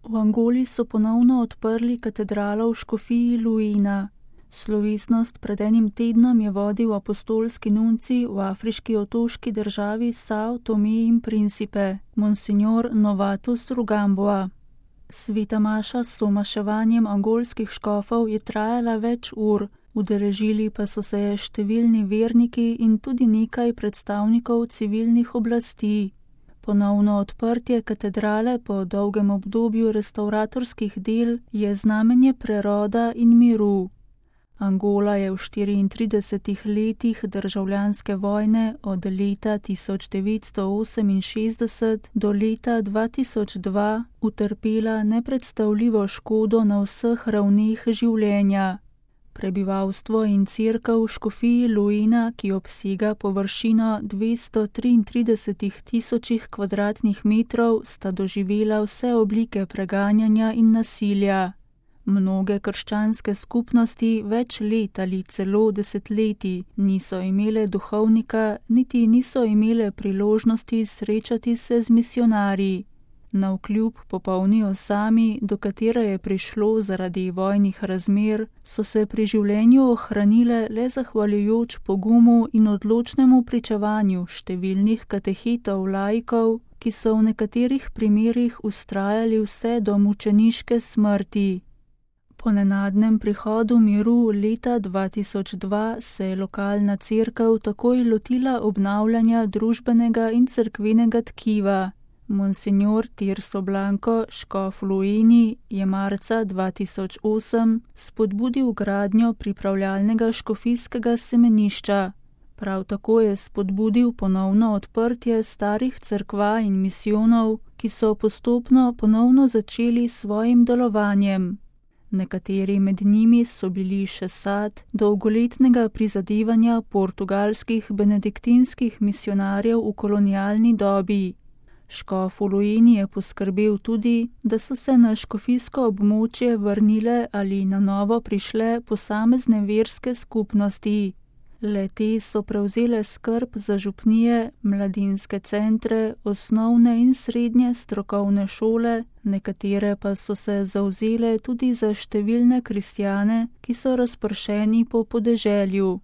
V Angoli so ponovno odprli katedralo v škofiji Luina. Slovesnost pred enim tednom je vodil apostolski nuncij v afriški otoški državi Sao Tome in Principe, monsignor Novatus Rugamboa. Sveta maša s somaševanjem angolskih škofov je trajala več ur, udeležili pa so se številni verniki in tudi nekaj predstavnikov civilnih oblasti. Ponovno odprtje katedrale po dolgem obdobju restavratorskih del je znamenje preroda in miru. Angola je v 34 letih državljanske vojne od leta 1968 do leta 2002 utrpela nepredstavljivo škodo na vseh ravneh življenja. Prebivalstvo in cerkev v škofiji Luina, ki obsega površino 233 tisočih kvadratnih metrov, sta doživela vse oblike preganjanja in nasilja. Mnoge krščanske skupnosti več let ali celo desetletij niso imele duhovnika, niti niso imele priložnosti srečati se z misionarji. Navkljub popolni osami, do katere je prišlo zaradi vojnih razmer, so se pri življenju ohranile le zahvaljujoč pogumu in odločnemu pričevanju številnih katehetov laikov, ki so v nekaterih primerih vztrajali vse do mučeniške smrti. Po nenadnem prihodu miru leta 2002 se je lokalna cerkev takoj lotila obnavljanja družbenega in cerkvenega tkiva. Monsignor Tirso Blanco, škof Luini, je marca 2008 spodbudil gradnjo pripravljalnega škofijskega semenišča. Prav tako je spodbudil ponovno odprtje starih cerkva in misijonov, ki so postopno ponovno začeli s svojim delovanjem. Nekateri med njimi so bili še sad dolgoletnega prizadevanja portugalskih benediktinskih misionarjev v kolonialni dobi. Škof v Luini je poskrbel tudi, da so se na škofijsko območje vrnile ali na novo prišle posamezne verske skupnosti. Le-te so prevzele skrb za župnije, mladinske centre, osnovne in srednje strokovne šole, nekatere pa so se zavzele tudi za številne kristjane, ki so razpršeni po podeželju.